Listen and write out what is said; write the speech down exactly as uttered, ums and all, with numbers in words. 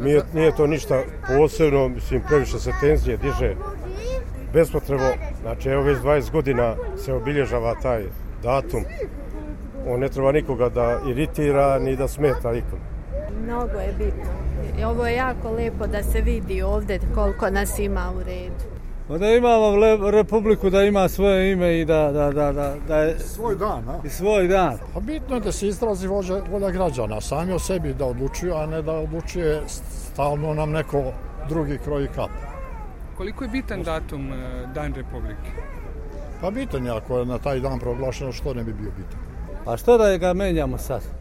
Nije, nije to ništa posebno, mislim, previše se tenzije diže bespotrebno. Znači, evo već dvadeset godina se obilježava taj datum. On ne treba nikoga da iritira ni da smeta nikom. Mnogo je bitno. Ovo je jako lijepo da se vidi ovdje koliko nas ima u redu. Da imamo le, republiku, da ima svoje ime i da, da, da, da, da je svoj dan, a? I svoj dan. Pa bitno je da se izrazi volja, volja građana, sami o sebi da odlučuju, a ne da odlučuje stalno nam neko drugi kroji kap. Koliko je bitan datum Dan Republike? Pa bitan je, ako je na taj dan proglašeno, što ne bi bio bitan. A što da ga menjamo sad?